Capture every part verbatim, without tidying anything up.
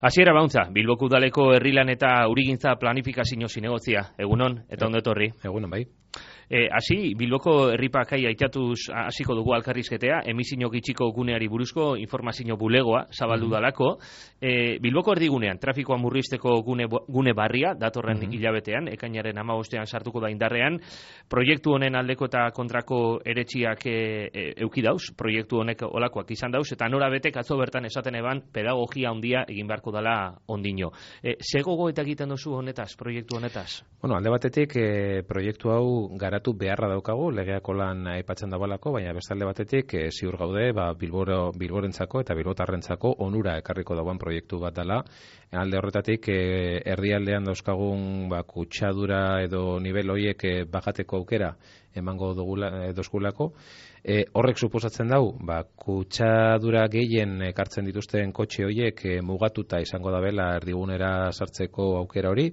Hasiera bauntza, Bilboko udaleko herrilan eta urigintza planifikazio zinegotzia. Egunon, eta ondo etorri. Egunon, bai. E, hasi, Bilboko herripakai aitatuz hasiko dugu alkarrizketea, emisio gitxiko guneari buruzko informazio bulegoa zabaldu mm-hmm. dalako. E, Bilboko erdigunean, trafikoa murrizteko gune, gune barria, datorren mm-hmm. hilabetean, ekainaren hamabostean sartuko da indarrean, proiektu honen aldeko eta kontrako eretxiak e, e, euki dauz, proiektu honek olakoak izan dauz, eta nora betek atzo bertan esaten eban pedagogia handia egin beharko dala ondino. E, ze gogo eta egiten duzu honetaz, proiektu honetaz? Bueno, alde batetik, e, proiektu hau garatu beharra daukagu, legeako lan aipatzen dabalako, baina bestalde batetik e, ziur gaude, ba, Bilboro, Bilborentzako eta Bilbotarrentzako onura ekarriko dagoen proiektu bat dela. Alde horretatik, e, erdialdean dauzkagun ba, kutsadura edo nivel hoiek e, bajateko aukera emango dugula, e, dozkulako. E, horrek suposatzen dau, ba, kutsadura gehien ekartzen dituzten kotxe hoiek e, mugatuta izango dabela erdigunera sartzeko aukera hori.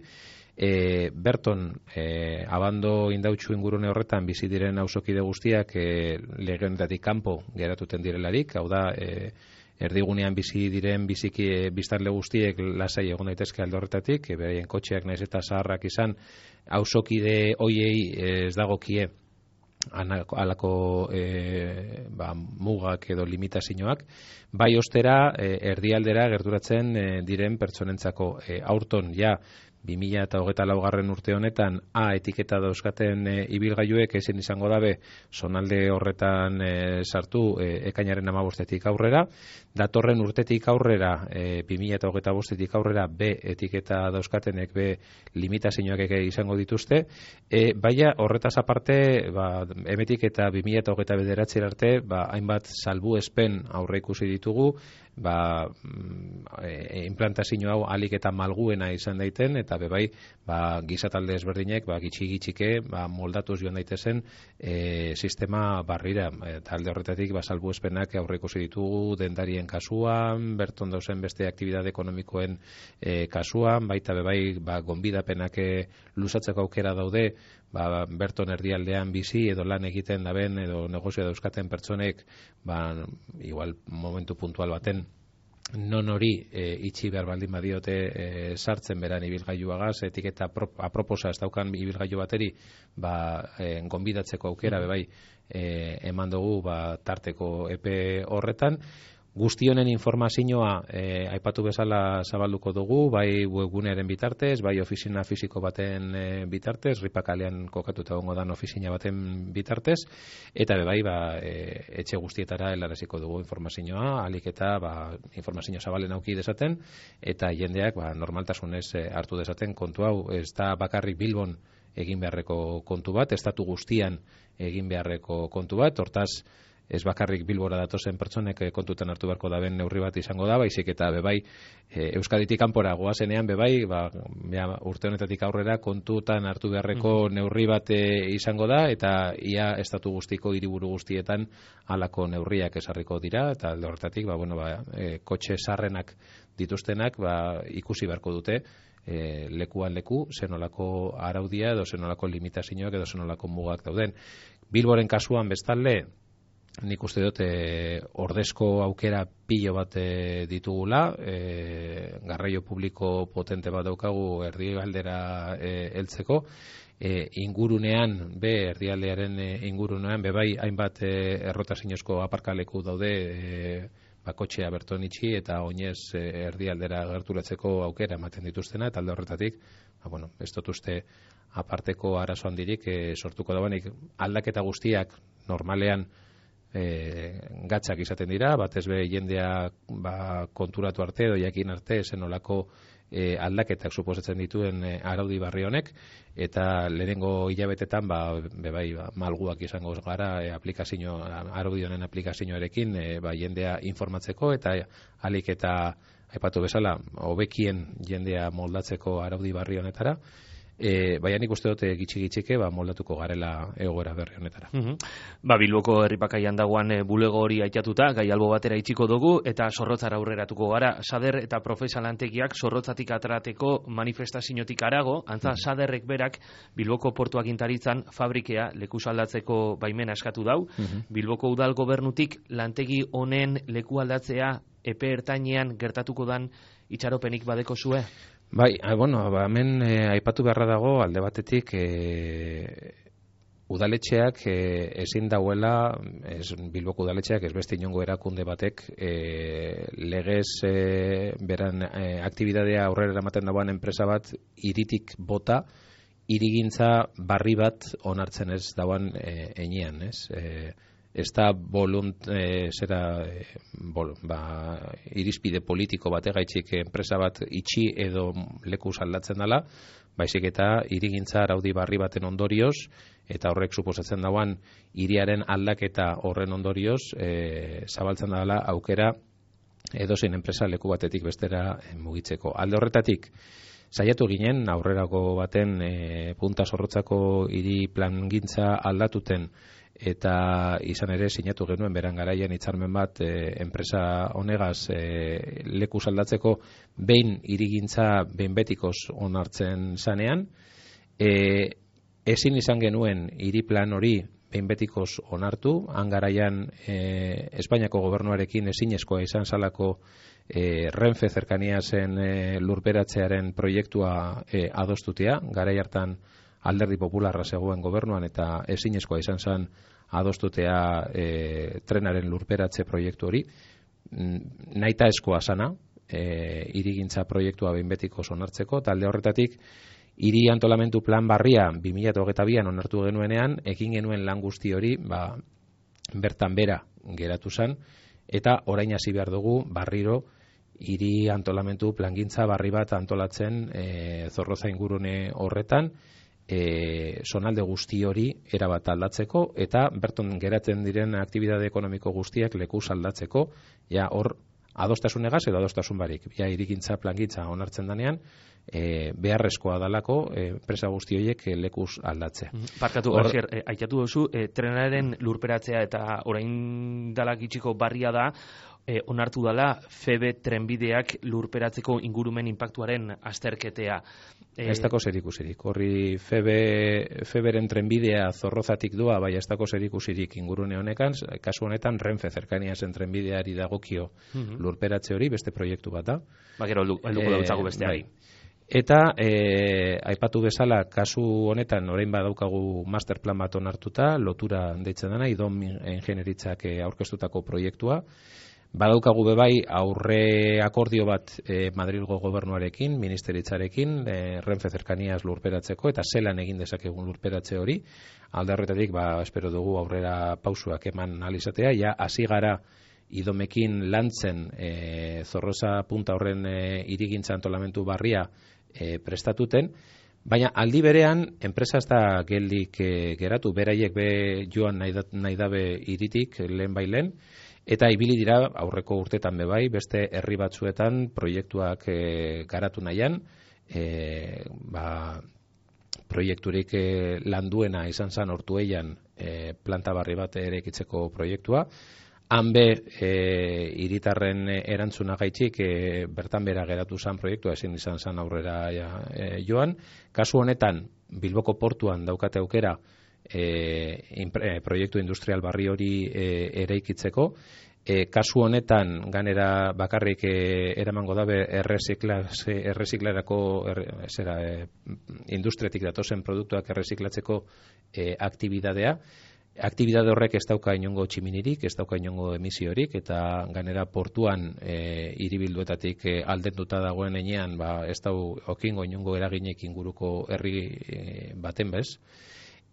E, Berton, e, abando indautxu ingurune horretan bizi diren auzokide guztiak e, legeonetatik kanpo geratuten direlarik, hau da, e, erdigunean bizi diren biziki e, biztanle guztiek lasai egon daitezke alde horretatik, e, beraien kotxeak naiz eta zaharrak izan, auzokide hoiei ez dagokie alako e, ba, mugak edo limitazioak, bai ostera e, erdialdera gerturatzen e, diren pertsonentzako e, aurton ja bi mila hogeita laugarren urte honetan A etiketa dauzkaten e, ibilgailuek ezin izango dabe zonalde horretan e, sartu e, ekainaren hamabostetik aurrera, datorren urtetik aurrera e, bi mila hogeita bostetik aurrera B etiketa dauzkatenek B limitazioak eke izango dituzte, e, baina horretaz aparte ba, emetik eta bi mila hogeita bederatzi arte ba, hainbat salbuespen aurre ikusi ditugu, ba, e, implantazio hau alik eta malguena izan daiten, eta bebai ba, gizatalde ezberdinek ba, gitxi-gitxike ba, moldatuz joan daitezen e, sistema barrira. Eta alde horretatik ba, salbuespenak aurre ikusi ditugu dendarien kasuan, berton dauzen beste aktibitate ekonomikoen e, kasuan, baita bebai ba, gonbidapenak e, luzatzeko aukera daude, ba, berton erdialdean bizi edo lan egiten daben edo negozioa dauzkaten pertsonek ba, igual momentu puntual baten non hori e, itxi behar baldin badiote e, sartzen beran ibilgailuagaz, etiketa aproposa ez daukan ibilgailu bateri ba, e, gonbidatzeko aukera bebai e, eman dugu ba, tarteko epe horretan. Guztionen informazioa e, aipatu bezala zabalduko dugu, bai webgunearen bitartez, bai ofizina fisiko baten e, bitartez, ripakalean kokatuta gongo dan ofizina baten bitartez, eta bai ba, e, etxe guztietara helaraziko dugu informazioa, alik eta ba, informazio zabalen auki dezaten, eta jendeak ba, normaltasunez e, hartu dezaten kontu hau, ez da bakarrik Bilbon egin beharreko kontu bat, estatu guztian egin beharreko kontu bat, hortaz, ez bakarrik Bilbora datozen pertsonek kontutan hartu beharko daben neurri bat izango da, baizik eta bebai e, Euskaditik kanpora goazenean bebai, ba, ja, urte honetatik aurrera kontutan hartu beharreko neurri bat e, izango da, eta ia estatu guztiko hiriburu guztietan halako neurriak esarriko dira, eta alde horretatik ba, bueno, ba, e, kotxe sarrenak dituztenak ba, ikusi beharko dute e, lekuan leku, zenolako araudia edo zenolako limitazioak edo zenolako mugak dauden. Bilboren kasuan bestalde, nik uste dut e, ordezko aukera pilo bat e, ditugula, e, garraio publiko potente bat daukagu erdialdera e, heltzeko, e, ingurunean, be erdialdearen e, ingurunean, be bai hainbat e, errotazinozko aparkaleku daude e, bakotxea berton itxi eta oinez e, erdialdera gerturatzeko aukera ematen dituztena, eta alde horretatik, ba, bueno, ez dut uste aparteko arazo handirik e, sortuko dauanik aldaketa guztiak normalean E, gatzak izaten dira, batez be jendea ba, konturatu arte edo jakin arte zenolako e, aldaketak suposatzen dituen e, araudi barri honek, eta lehenengo hilabetetan ba, bebai ba, malguak izango gara e, aplikazio, araudi honen aplikazioarekin e, ba, jendea informatzeko eta alik eta aipatu bezala hobekien jendea moldatzeko araudi barri honetara. E, baina nik uste dute gitxi-gitxike ba, moldatuko garela egoera berri honetara. Mm -hmm. Ba, Bilboko herripakaian dagoan e, bulego hori aitatuta, gai albo batera itxiko dugu, eta Zorrotzara aurreratuko gara. Sader eta profesalantegiak Zorrotzatik aterateko manifestaziotik arago, antza mm -hmm. Saderrek berak Bilboko portu agintaritzan fabrikea leku aldatzeko baimena eskatu dau. Mm -hmm. Bilboko udal gobernutik lantegi honen leku aldatzea epe ertainean gertatuko dan itxaropenik badeko zue? Bai, bueno, ba, hemen e, aipatu beharra dago alde batetik e, udaletxeak e, ezin dauela, ez, Bilboko udaletxeak ez beste inongo erakunde batek e, legez e, beran e, aktibidadea aurrera eramaten dagoen enpresa bat hiritik bota, hirigintza barri bat onartzen ez dagoen e, enean, ez? E, ez da volunt, e, zera, e, bol, ba, irizpide politiko bategaitzik enpresa bat itxi edo leku aldatzen dela, baizik eta hirigintza araudi barri baten ondorioz, eta horrek suposatzen dauan hiriaren aldaketa horren ondorioz, e, zabaltzen dela aukera edozein enpresa leku batetik bestera e, mugitzeko. Alde horretatik, saiatu ginen aurrerako baten e, punta zorrotzako hiri plangintza aldatuten, eta izan ere sinatu genuen beran garaian hitzarmen bat e, enpresa honegaz e, leku aldatzeko behin hirigintza behin betikoz onartzen zanean, e, ezin izan genuen hiri plan hori behin betikoz onartu, han garaian e, Espainiako gobernuarekin ezinezkoa izan zalako e, Renfe zerkaniazen e, lurperatzearen proiektua e, adostutea, garai hartan Alderdi Popularra zegoen gobernuan eta ezinezkoa izan zen adostutea e, trenaren lurperatze proiektu hori. Naita eskoa sana, e, hirigintza proiektua behin betiko onartzeko, talde horretatik hiri antolamendu plan barria bi mila hogeita bian onartu genuenean, egin genuen lan guzti hori ba, bertan bera geratu zen, eta orain hasi behar dugu barriro hiri antolamendu plangintza barri bat antolatzen e, Zorroza ingurune horretan, E, zonalde guzti hori erabat aldatzeko eta berton geratzen diren aktibidade ekonomiko guztiak lekuz aldatzeko, ja hor adostasunegaz edo adostasun barik, ja hirigintza plangintza onartzen danean, e, beharrezkoa dalako e, enpresa guzti horiek e, lekuz aldatze. Parkatu, Or... Asier, e, aitatu duzu, e, trenaren lurperatzea eta orain dalak itxiko barria da, E, onartu dela Febe trenbideak lurperatzeko ingurumen inpaktuaren azterketea. E... Ez dako zerikusirik. Horri Febe, Feberen trenbidea Zorrozatik doa, bai ez dako zerikusirik ingurune honekan, kasu honetan Renfe zerkaniazen trenbideari dagokio uh-huh. lurperatze hori, beste proiektu bat da. Ba, gero, helduko e, dautzagu besteari. Bai. Eta e, aipatu bezala kasu honetan orain badaukagu masterplan bat onartuta, lotura deitzen dena, idom ingenieritzak aurkeztutako proiektua. Badaukagu bebai aurre akordio bat e, Madrilgo gobernuarekin, ministeritzarekin, e, Renfe zerkaniaz lurperatzeko, eta zelan egin dezakegun lurperatze hori. Alde horretatik, ba, espero dugu aurrera pausuak eman alizatea, ja hasi gara idomekin lantzen e, Zorroza punta horren e, hirigintza antolamendu barria e, prestatuten, baina aldi berean, enpresa ez da geldik e, geratu, beraiek be joan nahi, da, nahi dabe hiritik lehen bailen, eta ibili dira aurreko urtetan bebai, beste herri batzuetan proiektuak e, garatu nahian, e, ba, proiekturik e, landuena izan zan Ortuellan e, planta barri bat eraikitzeko proiektua. Han be, e, hiritarren erantzuna gaitxik e, bertan bera geratu zan proiektua, ezin izan zan aurrera ja, e, joan. Kasu honetan, Bilboko portuan daukate aukera, E, impre, proiektu industrial barri hori e, eraikitzeko. E, kasu honetan ganera bakarrik e, eramango dabe erreziklarako er, zera, e, industriatik datozen produktuak erreziklatzeko e, aktibidadea. Aktibidade horrek ez dauka inongo tximinirik, ez dauka inongo emisiorik, eta ganera portuan e, hiribilduetatik e, aldenduta dagoen enean, ba, ez dau okingo inongo eraginek inguruko herri e, baten bez.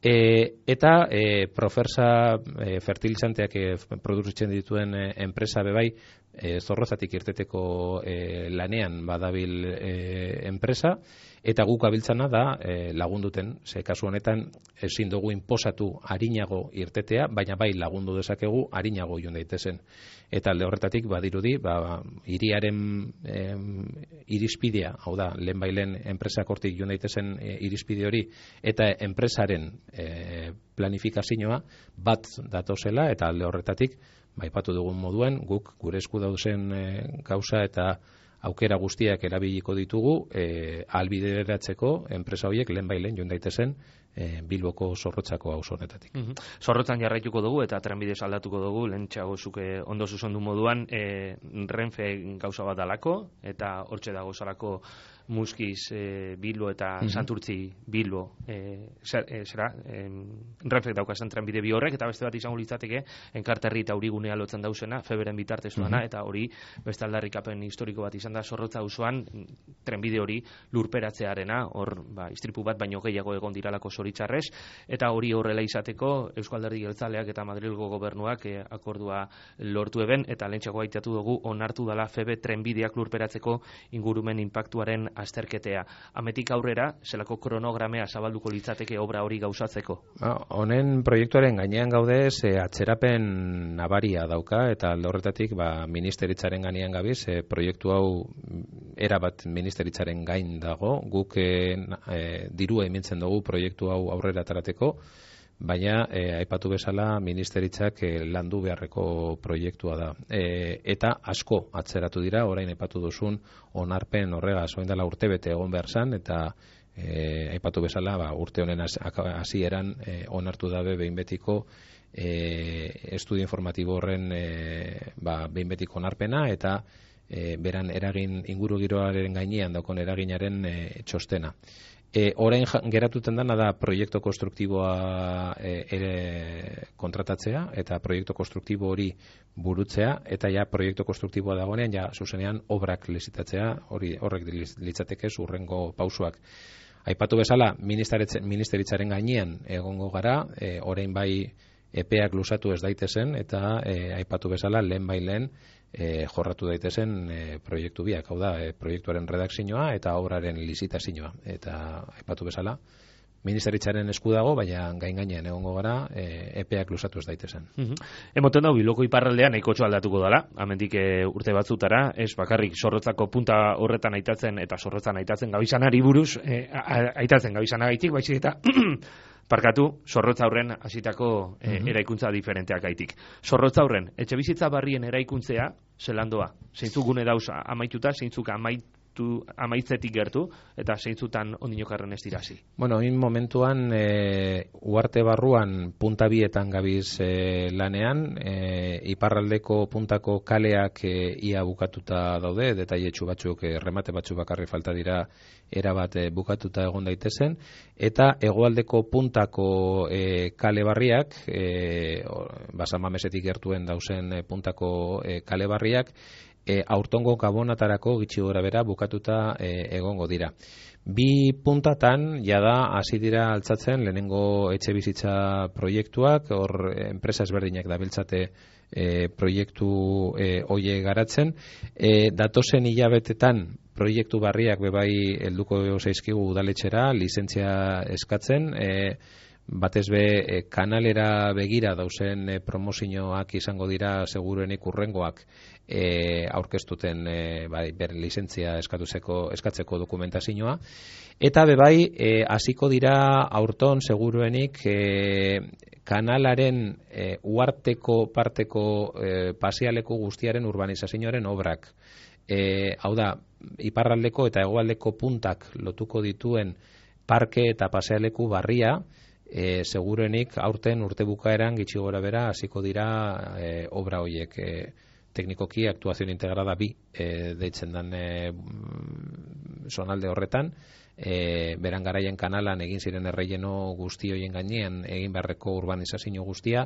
E, eta e, Profersa e, fertilizanteak e, produzitzen dituen e, enpresa bebai e, Zorrozatik irteteko e, lanean badabil e, enpresa, eta guk abiltzana da e, lagunduten, ze kasu honetan ezin dugu inposatu arinago irtetea, baina bai lagundu dezakegu arinago joan daitezen. Eta alde horretatik badirudi, ba, hiriaren e, irizpidea, hau da, lehen bailen enpresak hortik joan daitezen e, irizpide hori, eta enpresaren e, planifikazioa bat datozela, eta alde horretatik, baipatu dugun moduen, guk gure esku dauzen e, gauza eta aukera guztiak erabiliko ditugu e, albideratzeko enpresa horiek lehen bailen joan daitezen e, Bilboko Zorrotzako auzo honetatik. Mm-hmm. Zorrotzan jarraituko dugu eta trenbidez aldatuko dugu, lehentxeago zuke ondo zuzondu moduan, e, Renfe gauza bat dalako, eta hortxe dago zarako Muskiz e, Bilbo eta mm-hmm. Santurtzi Bilbo e, zer, e, zera e, Renfek daukazan trenbide bi horrek, eta beste bat izango litzateke Enkarterri eta Urigunea lotzen dauzena Feberen bitartez duana, mm-hmm. eta hori beste aldarrikapen historiko bat izan da Zorrotza auzoan trenbide hori lurperatzearena, hor ba, istripu bat baino gehiago egon diralako zoritzarrez, eta hori horrela izateko Eusko Alderdi Jeltzaleak eta Madrilgo gobernuak e, akordua lortu eben, eta lehentxako aitatu dugu onartu dala Febe trenbideak lurperatzeko ingurumen inpaktuaren azterketea. Ametik aurrera, zelako kronogramea zabalduko litzateke obra hori gauzatzeko? Honen proiektuaren gainean gaude, ze atzerapen nabaria dauka, eta alde horretatik ba, ministeritzaren gainean gabiz, e, proiektu hau erabat ministeritzaren gain dago, guk e, e, dirua emintzen dugu proiektu hau aurrera atarateko, baina e, aipatu bezala ministeritzak e, landu beharreko proiektua da. E, eta asko atzeratu dira, orain aipatu duzun onarpen horrega, zoin dela urte bete egon behar zan, eta e, aipatu bezala ba, urte honen hasieran e, onartu dabe behin betiko e, estudio informatibo horren e, ba, behin betiko onarpena, eta e, beran eragin inguru giroaren gainean daukon eraginaren e, txostena. E, orain geratuten dana da proiektu konstruktiboa e, ere kontratatzea eta proiektu konstruktibo hori burutzea, eta ja proiektu konstruktiboa dagoenean ja zuzenean obrak lizitatzea, hori horrek litzateke urrengo pausuak. Aipatu bezala ministeritzaren gainean egongo gara, e, orain bai epeak luzatu ez daitezen, eta e, aipatu bezala lehen bai lehen E, jorratu daitezen e, proiektu biak, hau da, e, proiektuaren redakzioa eta obraren lizitazioa. Eta aipatu bezala, ministeritzaren esku dago, baina gain gainean egongo gara, e, epeak luzatu ez daitezen. Mm-hmm. Emoten dau, Bilboko iparraldean nahikotxo aldatuko dala, amendik e, urte batzutara, ez bakarrik Zorrotzako punta horretan aitatzen eta Zorrotzan aitatzen gabizanari buruz, e, aitatzen gabizanagaitik, baizik eta parkatu, Zorrotza aurren hasitako e, mm-hmm. eraikuntza diferenteak gaitik. Zorrotza aurren, etxe bizitza barrien eraikuntzea, zelandoa, zeintzuk gune dauz amaituta, zeintzuk amaitu, amaitzetik gertu, eta zeintzutan ondinokarren ez dirazi. Bueno, in momentuan, e, uarte barruan punta bietan gabiz e, lanean, e, iparraldeko puntako kaleak e, ia bukatuta daude, detailetxu batzuk, e, remate batzuk bakarri falta dira erabat e, bukatuta egon daitezen, eta hegoaldeko puntako e, kale barriak, e, basamamesetik gertuen dauzen e, puntako e, kale barriak, e, aurtongo gabonatarako gitxi gora bera bukatuta e, egongo dira. Bi puntatan jada hasi dira altzatzen lehenengo etxe bizitza proiektuak, hor enpresa ezberdinak dabiltzate e, proiektu e, hoie garatzen. E, datozen hilabetetan proiektu barriak bebai helduko zaizkigu udaletxera, lizentzia eskatzen, e, batez be e, kanalera begira dauzen e, promozioak izango dira seguruenik urrengoak e, aurkeztuten e, bai, ber lizentzia eskatuzeko, eskatzeko dokumentazioa, eta bebai hasiko e, dira aurton seguruenik e, kanalaren e, uarteko parteko e, pasialeku guztiaren urbanizazioaren obrak. E, hau da, iparraldeko eta hegoaldeko puntak lotuko dituen parke eta pasealeku barria, e, segurenik aurten urte bukaeran gitxi gora bera hasiko dira e, obra horiek. E, teknikoki aktuazio integrada bi e, deitzen dan e, zonalde horretan, e, beran garaien kanalan egin ziren erreieno guzti hoien gainean egin beharreko urbanizazio guztia,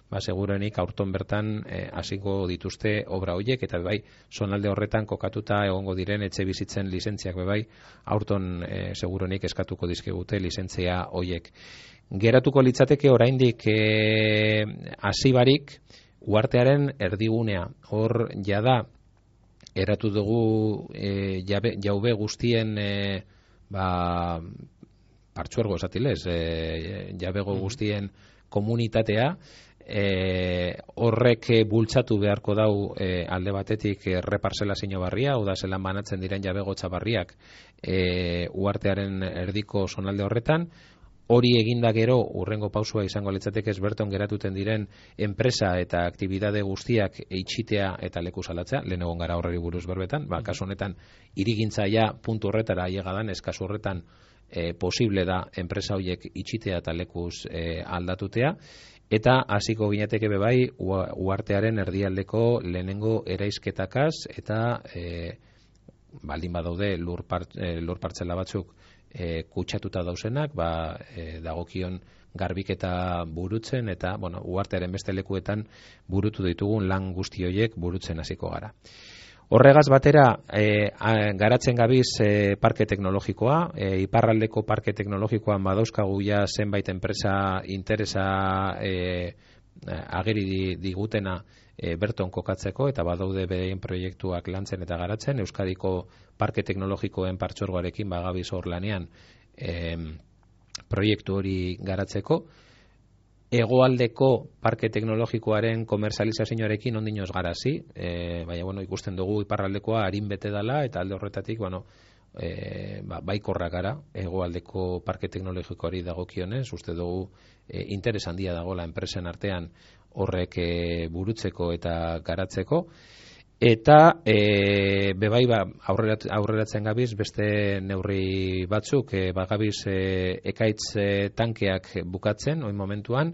ba, segurenik aurton bertan hasiko e, dituzte obra horiek, eta bai, zonalde horretan kokatuta egongo diren etxe bizitzen lizentziak bebai, aurton e, segurenik eskatuko dizkigute lizentzia horiek. Geratuko litzateke oraindik e, hasi barik uartearen erdigunea. Hor jada eratu dugu e, jabe, jaube guztien e, ba, partzuergo esatilez, e, jabego guztien komunitatea, E, horrek bultzatu beharko dau e, alde batetik e, reparzelazio barria, oda zelan banatzen diren jabegotza barriak e, uartearen erdiko zonalde horretan. Hori eginda gero urrengo pausua izango litzateke berton geratuten diren enpresa eta aktibidade guztiak eitxitea eta leku salatzea, lehen egon gara horreri buruz berbetan, ba, kasu honetan irigintza ja puntu horretara ailegadan, ez kasu horretan e, posible da enpresa horiek itxitea eta lekuz e, aldatutea, eta hasiko ginateke bebai uhartearen erdialdeko lehenengo eraizketakaz eta e, baldin badaude lur, part, e, lur partzela batzuk e, kutsatuta dauzenak, ba, e, dagokion garbiketa burutzen eta bueno, uhartearen beste lekuetan burutu ditugun lan guzti horiek burutzen hasiko gara. Horregaz batera, e, a, garatzen gabiz e, parke teknologikoa, e, iparraldeko parke teknologikoan badauzkagu ja zenbait enpresa interesa e, ageri digutena e, berton kokatzeko, eta badaude beraien proiektuak lantzen eta garatzen. Euskadiko parke teknologikoen partxorgoarekin bagabiz hor lanean e, proiektu hori garatzeko. Hegoaldeko parke teknologikoaren komerzializazioarekin ondinoz garazi, e, baina bueno, ikusten dugu iparraldekoa arin bete dela, eta alde horretatik bueno, e, ba, baikorra gara hegoaldeko parke teknologikoari dagokionez, uste dugu e, interes handia dagoela enpresen artean horrek e, burutzeko eta garatzeko. Eta e, bebai ba, aurrerat, aurreratzen gabiz beste neurri batzuk, e, bagabiz e, ekaitz e, tankeak bukatzen, oin momentuan,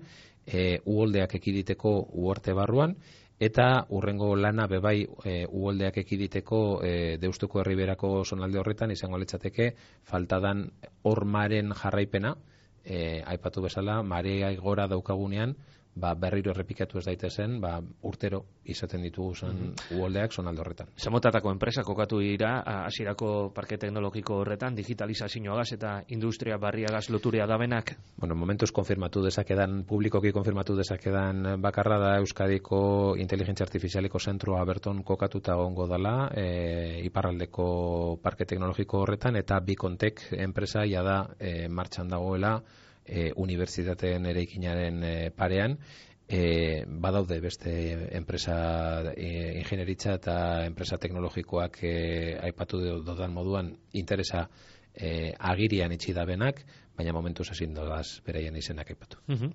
e, uholdeak ekiditeko uorte barruan, eta urrengo lana bebai e, uholdeak ekiditeko e, Deustuko Herriberako zonalde horretan izango litzateke faltadan hormaren jarraipena, e, aipatu bezala, marea gora daukagunean, ba, berriro errepikatu ez daitezen, ba, urtero izaten ditugu zen mm-hmm. uholdeak zonalde horretan. Zamotatako enpresa kokatu dira hasierako parke teknologiko horretan, digitalizazioagaz eta industria barriagaz loturea dabenak? Bueno, momentuz konfirmatu dezakedan, publikoki konfirmatu dezakedan bakarra da Euskadiko inteligentzia artifizialiko zentrua berton kokatuta gongo dela, e, iparraldeko parke teknologiko horretan, eta Bikontek enpresa ja da e, martxan dagoela, E, unibertsitateen eraikinaren e, parean, e, badaude beste enpresa e, ingenieritza eta enpresa teknologikoak e, aipatu dodan moduan interesa e, agirian itxi dabenak, baina momentuz ezin dodaz beraien izenak aipatu. Uh-huh.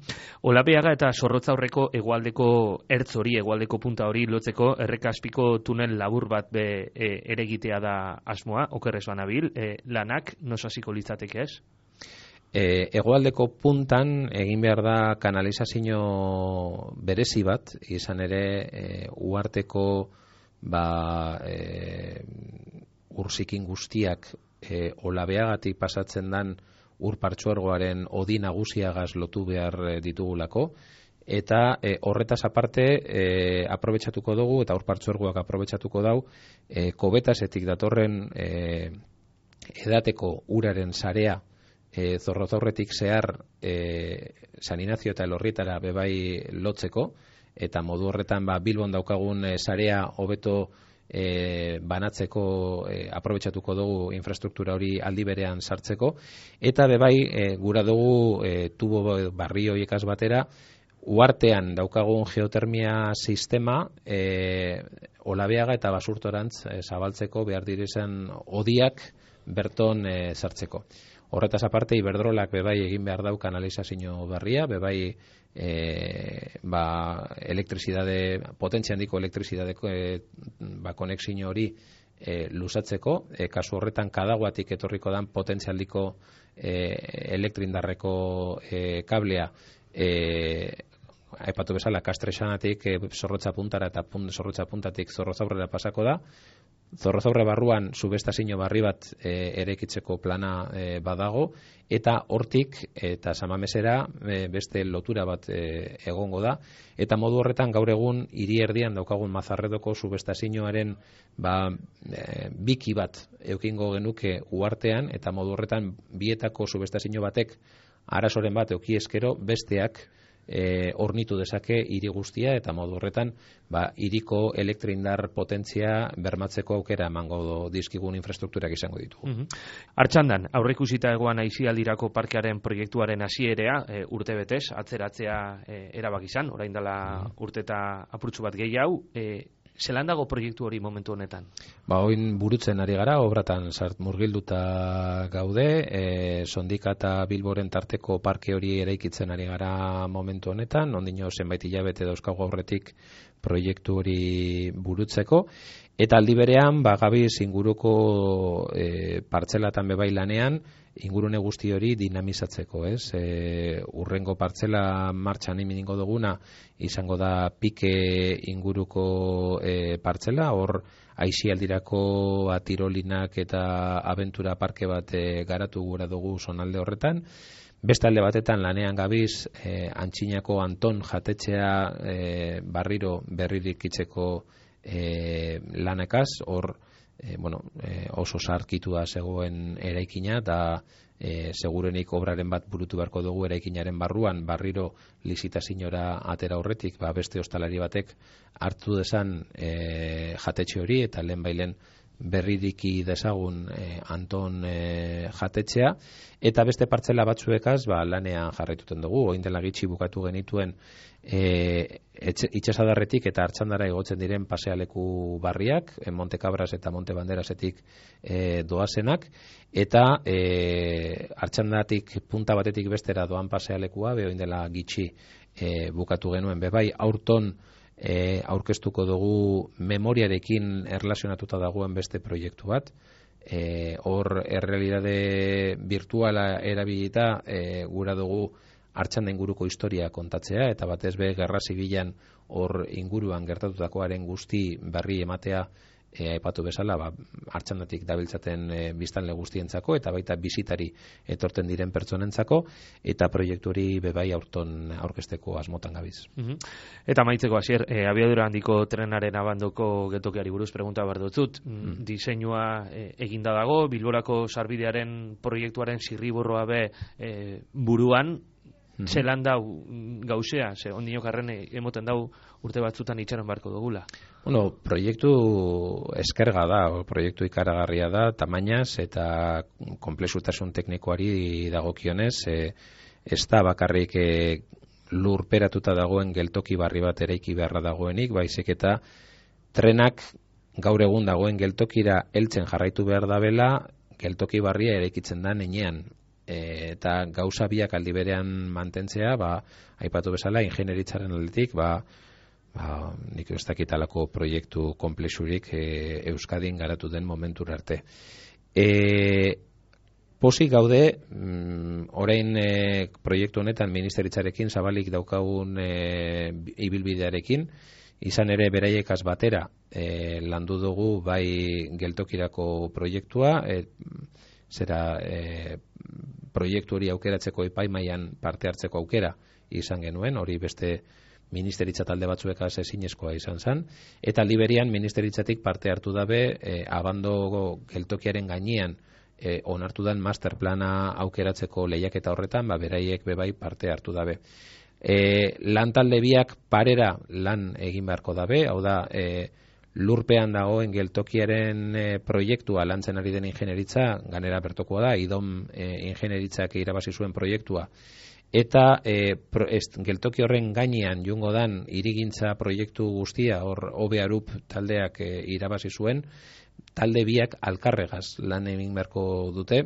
Olabeaga eta Zorrotzaurreko hegoaldeko ertz hori, hegoaldeko punta hori lotzeko errekaspiko tunel labur bat be, e, ere egitea da asmoa, okerrez banabil, e, lanak nosasiko litzateke ez? E, hegoaldeko puntan egin behar da kanalizazio berezi bat, izan ere e, uharteko ba, e, urzikin guztiak e, olabeagatik pasatzen dan ur partzuergoaren odi nagusiagaz lotu behar ditugulako, eta e, horretaz aparte e, aprobetxatuko dugu, eta ur partzuergoak aprobetxatuko dau, e, kobetasetik datorren e, edateko uraren sarea E, Zorrozaurretik zehar e, San Inazio eta Elorrietara bebai lotzeko, eta modu horretan ba, Bilbon daukagun e, sarea hobeto e, banatzeko e, aprobetxatuko dugu infrastruktura hori aldi berean sartzeko, eta bebai e, gura dugu e, tubo barri horiekaz batera uhartean daukagun geotermia sistema e, Olabeaga eta Basurtorantz e, zabaltzeko behar direzen odiak berton e, sartzeko. Horretaz aparte, Iberdrolak bebai egin behar dau kanalizazio berria, bebai e, ba, elektrizidade, potentzia handiko elektrizidadeko e, ba, konexio hori e, luzatzeko, e, kasu horretan Kadaguatik etorriko dan potentzia handiko e, elektrindarreko e, kablea e, aipatu bezala Kastrexanatik e, Zorrotza puntara eta punt, Zorrotza puntatik Zorrozaurrera pasako da. Zorrozaurre barruan subestazio barri bat e, erekitzeko plana e, badago, eta hortik eta Samamesera e, beste lotura bat e, egongo da, eta modu horretan gaur egun hiri erdian daukagun Mazarredoko subestazioaren ba, e, biki bat eukingo genuke uhartean, eta modu horretan bietako subestazio batek arazoren bat euki eskero besteak E, ornitu dezake hiri guztia, eta modu horretan ba, hiriko elektrindar potentzia bermatzeko aukera emango dizkigun infrastrukturak izango ditugu. Uh-huh. Artxandan, aurreikusita egoan Aisialdirako parkearen proiektuaren hasierea e, urte betez, atzeratzea e, erabak izan, orain dela uh-huh. urte eta apurtxu bat gehiago, e, zelan dago proiektu hori momentu honetan? Ba, oin burutzen ari gara, obratan sart murgilduta gaude, e, Sondika eta Bilboren tarteko parke hori eraikitzen ari gara momentu honetan, ondino zenbait hilabete dauzkagu aurretik proiektu hori burutzeko, Eta aldi berean, ba, gabiz inguruko e, partzelatan bebai lanean, ingurune guzti hori dinamizatzeko, ez? E, urrengo partzela martxan imingo duguna, izango da pike inguruko e, partzela, hor aisialdirako atirolinak eta abentura parke bat e, garatu gura dugu zonalde horretan. Beste alde batetan lanean gabiz, e, Antxinako Anton jatetxea e, barriro berririk itzeko e, lanekaz, hor e, bueno, e, oso sarkitua zegoen eraikina, eta e, segurenik obraren bat burutu beharko dugu eraikinaren barruan, barriro lizitaziora atera horretik, ba, beste ostalari batek hartu desan e, jatetxe hori, eta lehen bailen berridiki dezagun e, Anton e, jatetxea, eta beste partzela batzuekaz ba, lanean jarraituten dugu. Oin dela gitxi bukatu genituen e, itxasadarretik eta Artxandara igotzen diren pasealeku barriak, e, Monte Cabras eta Monte Banderasetik e, doazenak, eta e, Artxandatik punta batetik bestera doan pasealekua, be oin dela gitxi e, bukatu genuen, bebai aurton E, aurkeztuko dugu memoriarekin erlazionatuta dagoen beste proiektu bat. E, hor errealitate virtuala erabilita e, gura dugu Artxanda inguruko historia kontatzea, eta batez be gerra zibilan hor inguruan gertatutakoaren guzti berri ematea, e, aipatu bezala, ba, Artxandatik dabiltzaten e, biztanle guztientzako, eta baita bisitari etorten diren pertsonentzako, eta proiektu hori bebai aurton aurkezteko asmotan gabiz. Uh-huh. Eta maitzeko hasier, e, abiadura handiko trenaren abandoko geltokiari buruz pregunta behar dutzut. Mm. Diseinua e, eginda dago, Bilborako sarbidearen proiektuaren zirriborroa be e, buruan, mm-hmm. Zelan dau gauzea, ze ondinok arren emoten dau urte batzutan itxaron barko dugula. Bueno, proiektu eskerga da, o, proiektu ikaragarria da, tamainaz eta konplexutasun teknikoari dagokionez, e, ez da bakarrik e, lurperatuta dagoen geltoki barri bat eraiki beharra dagoenik, baizik eta trenak gaur egun dagoen geltokira heltzen jarraitu behar dabela, geltoki barria eraikitzen da nenean. E, eta gauza biak aldi berean mantentzea, ba, aipatu bezala, ingenieritzaren aldetik, ba, ba, nik ez dakitalako proiektu komplexurik e, Euskadin garatu den momentur arte. E, Pozik gaude, mm, orain e, proiektu honetan ministeritzarekin zabalik daukagun e, ibilbidearekin, izan ere beraiekaz batera e, landu dugu bai geltokirako proiektua, e, zera e, proiektu hori aukeratzeko epaimailan parte hartzeko aukera izan genuen, hori beste ministeritza talde batzuekaz ezinezkoa izan zen, eta liberian ministeritzatik parte hartu dabe e, abando geltokiaren gainean e, onartu den masterplana aukeratzeko lehiaketa horretan, ba, beraiek bebai parte hartu dabe. E, lan talde biak parera lan egin beharko dabe, hau da, e, lurpean dagoen geltokiaren e, proiektua lantzen ari den ingenieritza, ganera bertokoa da, idom e, ingenieritzak irabazi zuen proiektua, eta e, pro, ez, geltoki horren gainean jungo dan hirigintza proiektu guztia, hor O B Arup taldeak e, irabazi zuen, talde biak alkarregaz lan egin beharko dute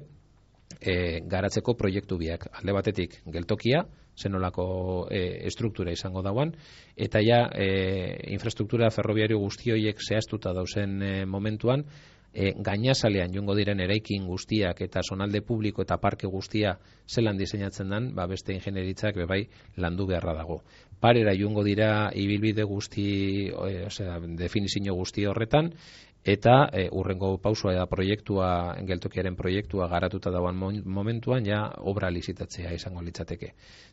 e, garatzeko proiektu biak. Alde batetik geltokia, zenolako e, estruktura izango dauan, eta ja e, infrastruktura ferrobiario guztioiek zehaztuta dauzen e, momentuan, e, gainazalean jungo diren eraikin guztiak eta zonalde publiko eta parke guztia zelan diseinatzen den, ba beste ingenieritzak bebai landu beharra dago. Parera jungo dira ibilbide guzti, e, osea, definizio guzti horretan, eta e, urrengo pausua da proiektua, geltokiaren proiektua garatuta dauan momentuan ja obra lizitatzea izango litzateke.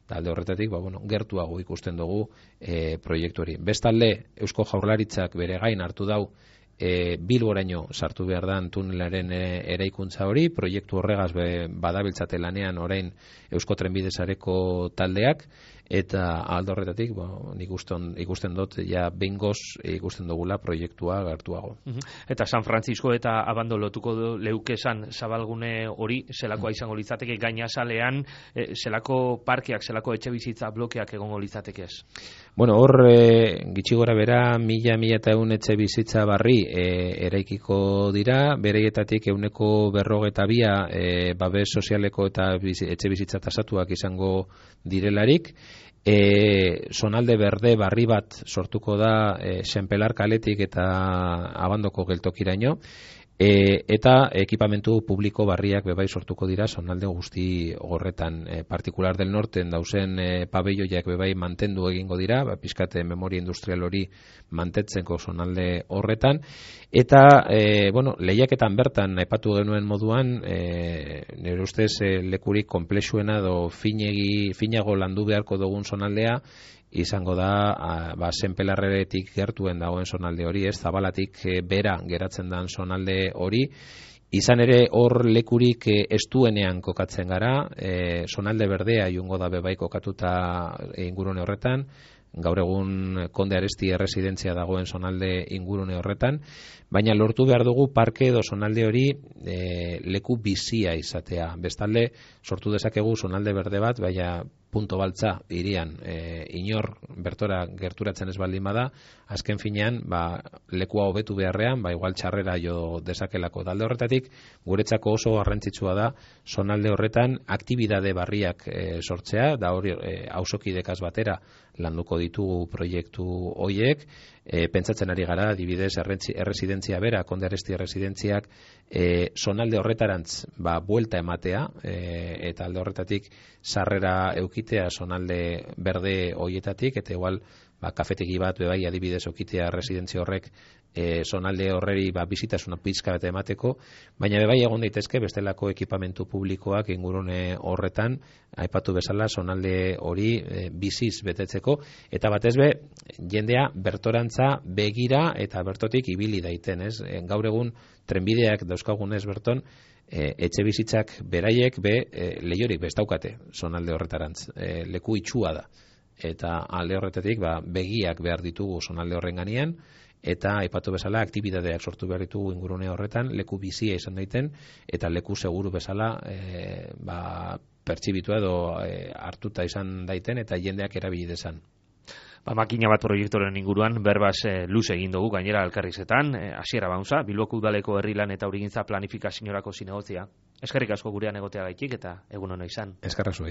Talde horretatik, ba, bueno, gertuago ikusten dugu e, proiektu hori. Bestalde, Eusko Jaurlaritzak bere gain hartu dau e, Bilboraino sartu behar dan tunelaren e, eraikuntza hori, proiektu horregaz be, badabiltzate lanean orain Eusko Trenbide Sareko taldeak, eta aldo horretatik, bo, ikusten, ikusten dut, ja bengoz ikusten dugula proiektua gertuago. Uh-huh. Eta San Francisco eta abando lotuko leukesan zabalgune hori, zelakoa izango litzateke, gainazalean, e, zelako parkeak, zelako etxe bizitza blokeak egongo litzateke ez? Bueno, hor, e, gitxi gora bera, mila, mila eta eun etxe bizitza barri e, eraikiko dira, bereietatik euneko berrogeta bia e, babes sozialeko eta bizi, etxe bizitza tasatuak izango direlarik, E, zonalde berde barri bat sortuko da e, Senpelar kaletik eta Abandoko geltokiraino, e, eta ekipamentu publiko barriak bebai sortuko dira zonalde guzti horretan. E, partikular del norten dauzen e, pabelloiak bebai mantendu egingo dira, ba, pizkate memoria industrial hori mantetzeko zonalde horretan, eta e, bueno, lehiaketan bertan aipatu genuen moduan, e, nire ustez e, lekurik konplexuena edo finegi, finago landu beharko dugun zonaldea izango da a, ba, Senpelarretik gertuen dagoen zonalde hori, ez Zabalatik e, bera geratzen dan zonalde hori. Izan ere hor lekurik e, estuenean kokatzen gara, e, zonalde berdea jungo da bebai kokatuta ingurune horretan, gaur egun Konde Aresti erresidentzia dagoen zonalde ingurune horretan, baina lortu behar dugu parke edo zonalde hori e, leku bizia izatea. Bestalde, sortu dezakegu zonalde berde bat, baina punto baltza irian e, inor bertora gerturatzen ez baldin bada, azken finean ba, lekua hobetu beharrean, ba, igual txarrera jo dezakelako. Dalde horretatik, guretzako oso garrantzitsua da zonalde horretan aktibidade barriak e, sortzea, da hori e, auzokidekaz batera landuko ditugu proiektu hoiek, e, pentsatzen ari gara, adibidez, erresidentzia bera, Konde Aresti erresidentziak, e, zonalde horretarantz ba, buelta ematea, e, eta alde horretatik sarrera eukitea zonalde berde hoietatik, eta igual ba, kafetegi bat bebai adibidez okitea residentzia horrek e, zonalde horreri ba, bizitasuna pizka bat emateko, baina bebai egon daitezke bestelako ekipamentu publikoak ingurune horretan, aipatu bezala zonalde hori e, biziz betetzeko, eta batez be, jendea bertorantza begira eta bertotik ibili daiten, ez? E, gaur egun trenbideak dauzkagunez berton, e, etxe bizitzak beraiek be e, lehiorik bestaukate zonalde horretarantz, e, leku itxua da. Eta alde horretatik ba, begiak behar ditugu zonalde horren ganean, eta aipatu bezala aktibidadeak sortu behar ditugu ingurune horretan, leku bizia izan daiten, eta leku seguru bezala e, ba, pertsibitua edo e, hartuta izan daiten, eta jendeak erabili dezan. Ba, makina bat proiektoren inguruan berbaz e, luze egin dugu gainera elkarrizetan, e, hasiera baunza, Bilboko udaleko herrilan eta urigintza planifikaziorako zinegotzia. Eskerrik asko gurean egotea gaitik eta egun ona izan. Eskerrak zuei.